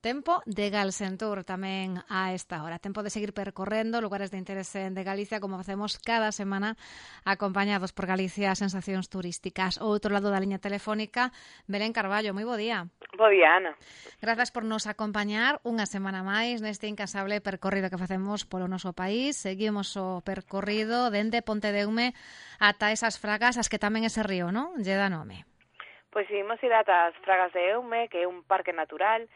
Tempo de Galsentour tamén a esta hora. Tempo de seguir percorrendo lugares de interese de Galicia, como facemos cada semana, acompañados por Galicia Sensacións Turísticas. Ao outro lado da liña telefónica, Belén Carballo. Moi bo día. Bo día, Ana. Grazas por nos acompañar unha semana máis neste incasable percorrido que facemos polo noso país. Seguimos o percorrido dende Pontedeume ata esas fragas, as que tamén ese río, non? Lle dá nome. Pois imos ir ata as Fragas de Eume, que é un parque natural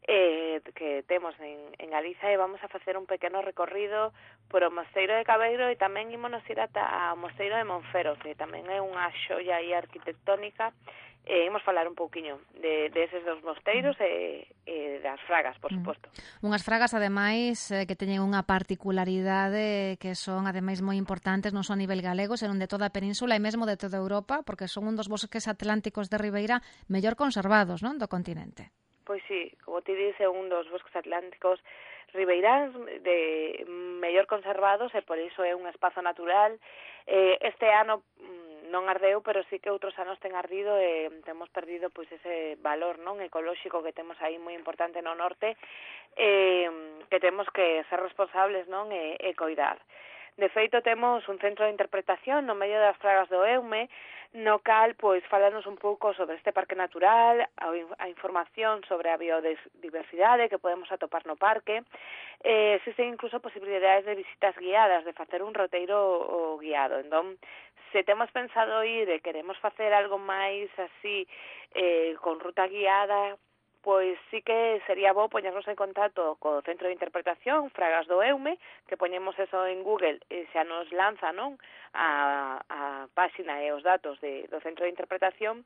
que temos en Galiza, e vamos a facer un pequeno recorrido por o Mosteiro de Cabeiro e tamén ímonos ir ata o Mosteiro de Monfero, que tamén é unha xoia aí arquitectónica. Imos falar un pouquiño de eses dos mosteiros e das fragas, por suposto. Unhas fragas, ademais, que teñen unha particularidade que son, ademais, moi importantes, non só a nivel galego, senón de toda a península e mesmo de toda Europa, porque son un dos bosques atlánticos de Ribeira mellor conservados, non, do continente. Pois sí, como ti dice, un dos bosques atlánticos ribeiráns de mellor conservados e por iso é un espazo natural. Este ano non ardeu, pero sí que outros anos ten ardido e temos perdido pois ese valor non ecolóxico que temos aí moi importante no norte, que temos que ser responsables non e coidar. De feito, temos un centro de interpretación no medio das Fragas do Eume, no cal, pois, falanos un pouco sobre este parque natural, a información sobre a biodiversidade que podemos atopar no parque. Existen incluso posibilidades de visitas guiadas, de facer un roteiro guiado. Entón, se temos pensado ir e queremos facer algo máis así, con ruta guiada, pois sí que sería bo poñernos en contacto co Centro de Interpretación Fragas do Eume, que poñemos eso en Google e xa nos lanza non a páxina e os datos do Centro de Interpretación,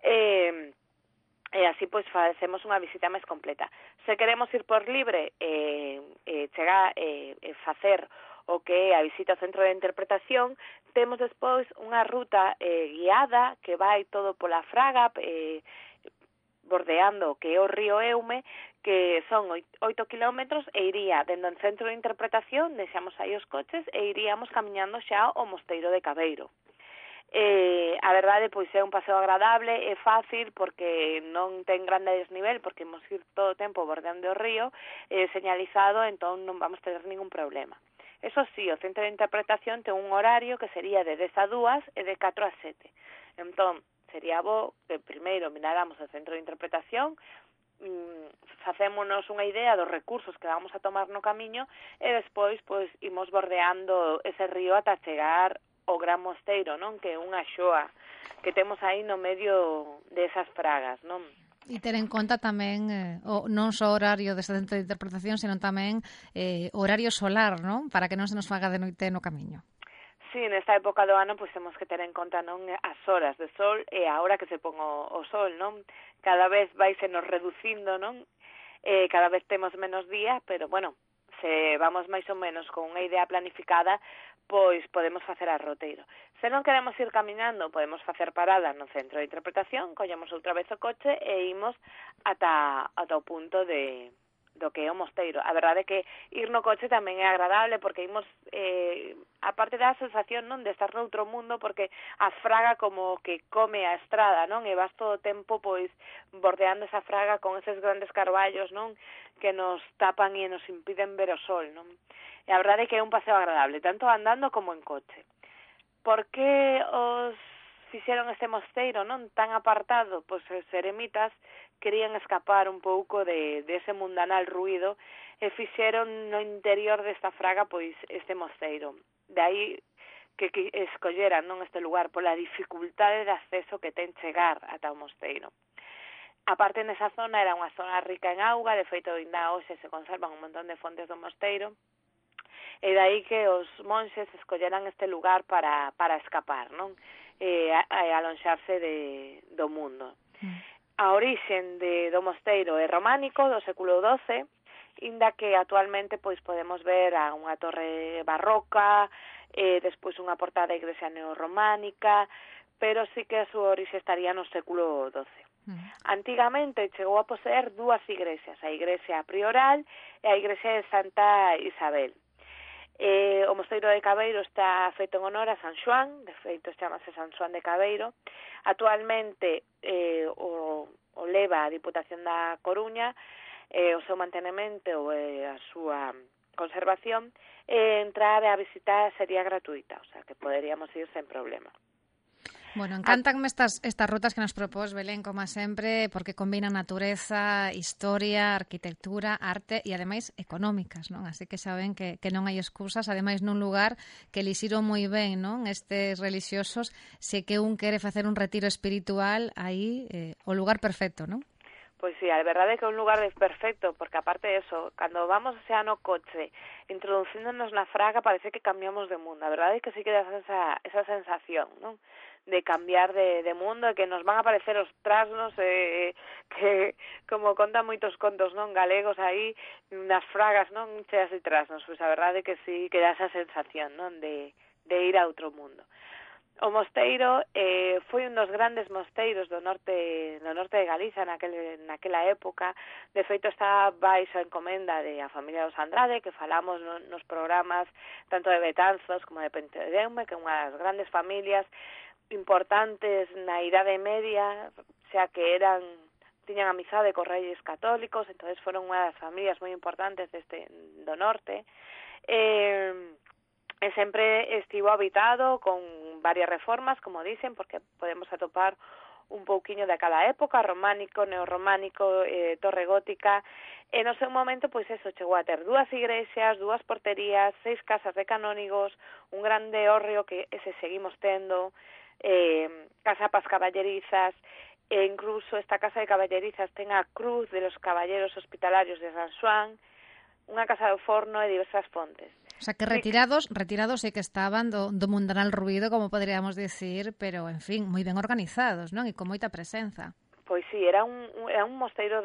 e así pois facemos unha visita máis completa. Se queremos ir por libre chegar e facer o que é a visita ao Centro de Interpretación, temos despois unha ruta guiada que vai todo pola Fraga, bordeando o que é o río Eume, que son 8 kilómetros, e iría dentro do centro de interpretación, deixamos aí os coches e iríamos camiñando xa ao Mosteiro de Cabeiro. A verdade, pois é un paseo agradable, é fácil porque non ten grande desnivel, porque imos ir todo o tempo bordeando o río, señalizado, entón non vamos ter ningún problema. Eso sí, o centro de interpretación ten un horario que sería de 10 a 2 e de 4 a 7. Entón, sería bo que primeiro miráramos o centro de interpretación, facémonos unha idea dos recursos que vamos a tomar no camiño e despois pois imos bordeando ese río ata chegar ao Gran Mosteiro, non? Que é unha xoa que temos aí no medio desas fragas, non? E ter en conta tamén non só horario deste centro de interpretación, senón tamén horario solar, non? Para que non se nos faga de noite no camiño. Sí, nesta época do ano pois temos que ter en conta non as horas de sol e a hora que se pon o sol, non? Cada vez vaise nos reducindo, non? Cada vez temos menos días, pero bueno, se vamos máis ou menos con unha idea planificada, pois podemos facer a roteiro. Se non queremos ir caminando, podemos facer parada no centro de interpretación, collemos outra vez o coche e imos ata o punto do que é o mosteiro. A verdade é que ir no coche tamén é agradable porque imos, a parte da sensación non de estar noutro mundo, porque a fraga como que come a estrada, non? E vas todo o tempo pois bordeando esa fraga con eses grandes carballos, non? Que nos tapan e nos impiden ver o sol, non? E a verdade é que é un paseo agradable, tanto andando como en coche. Por que os fixeron este mosteiro, non? Tan apartado? Pois os eremitas querían escapar un pouco de ese mundanal ruído e fixeron no interior desta fraga pois este mosteiro. De aí que escolleran non este lugar pola dificultade de acceso que ten chegar ata o mosteiro. A parte nesa zona era unha zona rica en auga, de feito ainda hoxe se conservan un montón de fontes do mosteiro, e de aí que os monxes escolleran este lugar para escapar, non? E alonxarse do mundo. A orixen do mosteiro é románico, do século XII, inda que actualmente pois podemos ver a unha torre barroca, despois unha portada da igrexa neorrománica, pero sí que a súa orixe estaría no século XII. Antigamente chegou a poseer dúas igrexas, a igrexa prioral e a igrexa de Santa Isabel. O Mosteiro de Cabeiro está feito en honor a San Xoán, de feito chamase San Xoán de Cabeiro. Actualmente o leva a Diputación da Coruña o seu mantenemento e a súa conservación, entrar a visitar sería gratuita, o sea, que poderíamos ir sen problema. Bueno, encantanme estas rutas que nos propós, Belén, como sempre, porque combinan natureza, historia, arquitectura, arte e, ademais, económicas, non? Así que saben que non hai excusas, ademais, nun lugar que elixiron moi ben, non? Estes religiosos, se que un quere facer un retiro espiritual, aí, o lugar perfecto, non? Pois sí, a verdade é que é un lugar perfecto, porque aparte de eso, cando vamos xa no coche, introducíndonos na fraga, parece que cambiamos de mundo. A verdade é que sí que das esa sensación, non? De cambiar de mundo, e que nos van a aparecer os trasnos, que, como contan moitos contos, non, galegos aí, nas fragas, non, cheas de trasnos. Pois a verdade é que sí que dá esa sensación, non, de ir a outro mundo. O mosteiro foi un dos grandes mosteiros do norte de Galicia naquela época. De feito, está baixo a encomenda de a familia dos Andrade, que falamos nos programas tanto de Betanzos como de Pentedeume, que é unha das grandes familias importantes na Idade Media, xa que tiñan amizade cos reyes católicos, entonces foron unha das familias moi importantes do norte. E sempre estivo habitado con varias reformas, como dicen, porque podemos atopar un pouquiño de cada época, románico, neorrománico, torre gótica. E no seu momento, pois eso, chegou a ter 2 igrexas, 2 porterías, 6 casas de canónigos, un grande hórreo que ese seguimos tendo, casa pas caballerizas, e incluso esta casa de caballerizas ten a cruz de los caballeros hospitalarios de San Xoán, unha casa do forno e diversas fontes. O sea, que retirados sí que estaban do mundanal ruído, como poderíamos decir, pero, en fin, moi ben organizados, non? E con moita presenza. Pois sí, era un mosteiro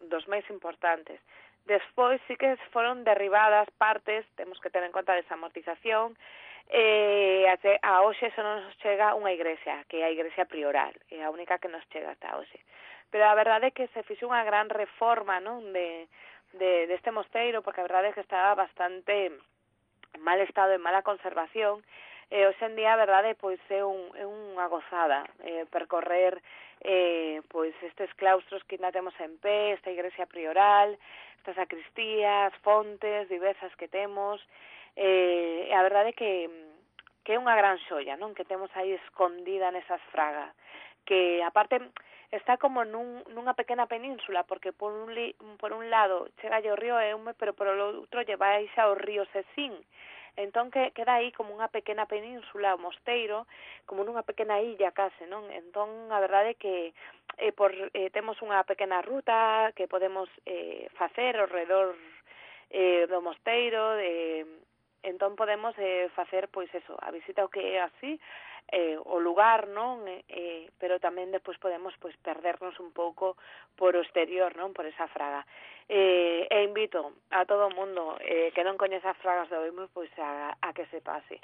dos máis importantes. Despois sí que foron derribadas partes, temos que ter en conta a desamortización, a hoxe só nos chega unha igrexa, que é a igrexa prioral, é a única que nos chega hasta hoxe. Pero a verdade é que se fixo unha gran reforma, non, deste mosteiro, porque a verdade é que estaba bastante mal estado e mala conservación, hoxe en día a verdade pois é unha gozada percorrer pois estes claustros que ainda temos en pé, esta igrexa prioral, estas sacristías, fontes diversas que temos, e a verdade é que é unha gran xoia, non, que temos aí escondida nesas fragas, que aparte está como nunha pequena península, porque por un lado chega o río Eume, pero por o outro lle baixa o río Sesín. Entón queda aí como unha pequena península, o mosteiro, como nunha pequena illa case, non? Entón a verdade é que temos unha pequena ruta que podemos facer ao redor do mosteiro, entón podemos facer pois eso, a visita ao que é así, o lugar, non? Pero tamén despois podemos pois perdernos un pouco por o exterior, non? Por esa fraga. E invito a todo o mundo que non coñeza as fragas de Oimo pois a que se pase.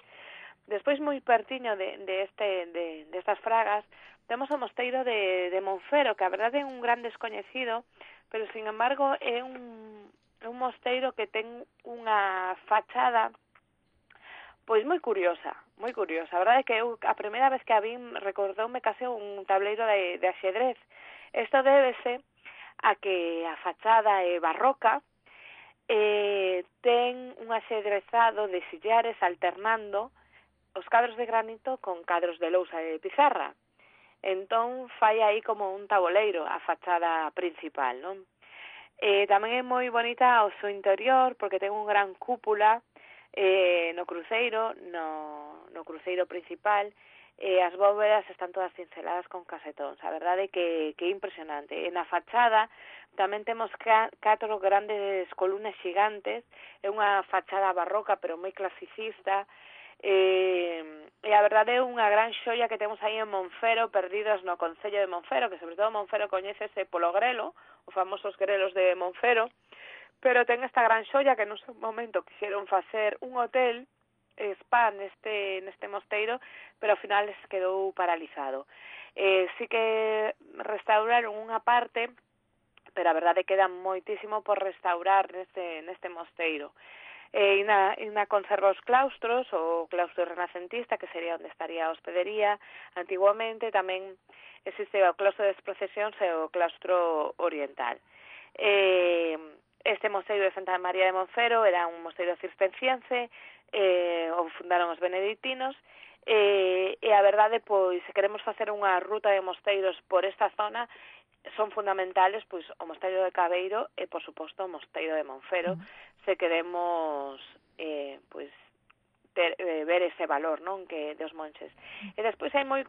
Despois moi pertiño destas fragas temos o mosteiro de Monfero, que a verdade é un gran descoñecido, pero sin embargo é un mosteiro que ten unha fachada pois moi curiosa. A verdade é que eu a primeira vez que a vin recordoume case un tableiro de axedrez. Isto débese a que a fachada é barroca, ten un axedrezado de sillares alternando os cadros de granito con cadros de lousa de pizarra. Entón fai aí como un taboleiro a fachada principal, non? Tamén é moi bonita o seu interior porque ten un gran cúpula no cruceiro principal, as bóvedas están todas cinceladas con casetóns. A verdade é que é impresionante. E na fachada tamén temos 4 grandes columnas xigantes, é unha fachada barroca pero moi clasicista, e a verdade é unha gran xoia que temos aí en Monfero, perdidos no concello de Monfero, que sobre todo Monfero coñécese polo grelo, os famosos grelos de Monfero, pero ten esta gran xoia que no seu momento quixeron facer un hotel spa neste mosteiro, pero ao final quedou paralizado. Sí que restauraron unha parte, pero a verdade queda moitísimo por restaurar neste mosteiro. E na conserva os claustros, o claustro renacentista, que sería onde estaría a hospedería. Antiguamente tamén existe o claustro das procesións e o claustro oriental. Este mosteiro de Santa María de Monfero era un mosteiro cisterciense, o fundaron os benedictinos, e a verdade, pois, se queremos facer unha ruta de mosteiros por esta zona, son fundamentales, pois, o mosteiro de Cabeiro e, por suposto, o mosteiro de Monfero, se queremos, pois, ver ese valor, non, que dos monches. E despois hai moi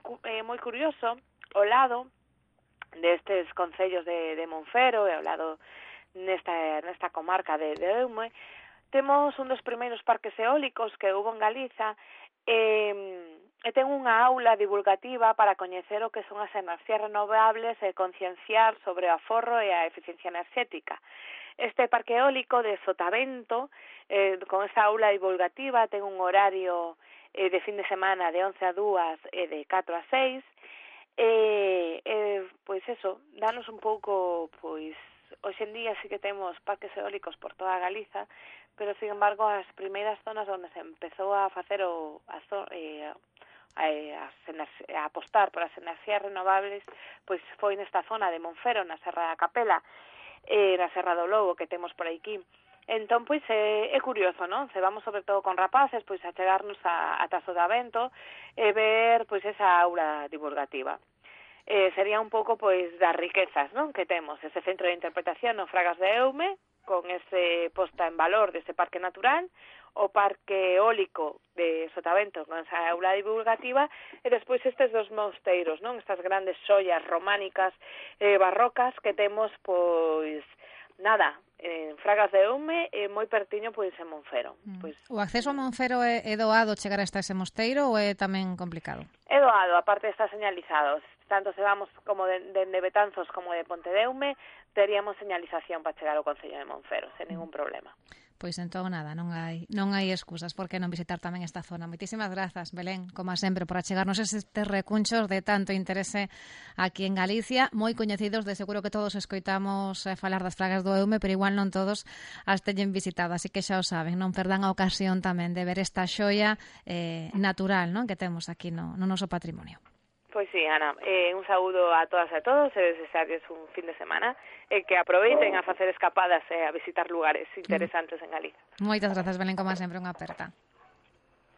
curioso, ao lado destes concellos de Monfero e ao lado nesta comarca de Eume, temos un dos primeiros parques eólicos que houve en Galiza, e ten unha aula divulgativa para coñecer o que son as enerxías renovables e concienciar sobre o aforro e a eficiencia enerxética. Este parque eólico de Sotavento, con esta aula divulgativa, ten un horario de fin de semana de 11 a 2 e de 4 a 6, pois eso, danos un pouco, pois, hoxe en día sí que temos parques eólicos por toda Galiza, pero, sin embargo, as primeiras zonas onde se empezou a facer a apostar por as enerxías renovables, pois foi nesta zona de Monfero, na Serra da Capela, na Serra do Lobo, que temos por aquí. Entón, pois, é curioso, non? Se vamos, sobre todo, con rapaces, pois, a chegarnos a Sotavento e ver, pois, esa aula divulgativa. Sería un pouco, pois, das riquezas, non?, que temos, ese centro de interpretación no Fragas de Eume, con ese posta en valor dese parque natural, o parque eólico de Sotavento con esa aula divulgativa, e despois estes dos mosteiros, non? Estas grandes xoias románicas, barrocas que temos, pois, nada, en Fragas de Eume e moi pertiño, pois, en Monfero. Pois, o acceso a Monfero é doado chegar hasta ese mosteiro ou é tamén complicado? É doado, aparte está señalizado. Tanto se vamos como de Betanzos como de Pontedeume, teríamos señalización para chegar ao Concello de Monfero, sen ningún problema. Pois entón nada, non hai excusas por que non visitar tamén esta zona. Moitísimas grazas, Belén, como sempre, por achegarnos estes recunchos de tanto interese aquí en Galicia, moi coñecidos, de seguro que todos escoitamos falar das Fragas do Eume, pero igual non todos as teñen visitado, así que xa o saben, non perdan a ocasión tamén de ver esta xoia natural, non, que temos aquí no noso patrimonio. Pois sí, Ana, un saúdo a todas e a todos e desearles un fin de semana e que aproveiten a facer escapadas e a visitar lugares interesantes en Galiza. Moitas grazas, Belén, como sempre, unha aperta.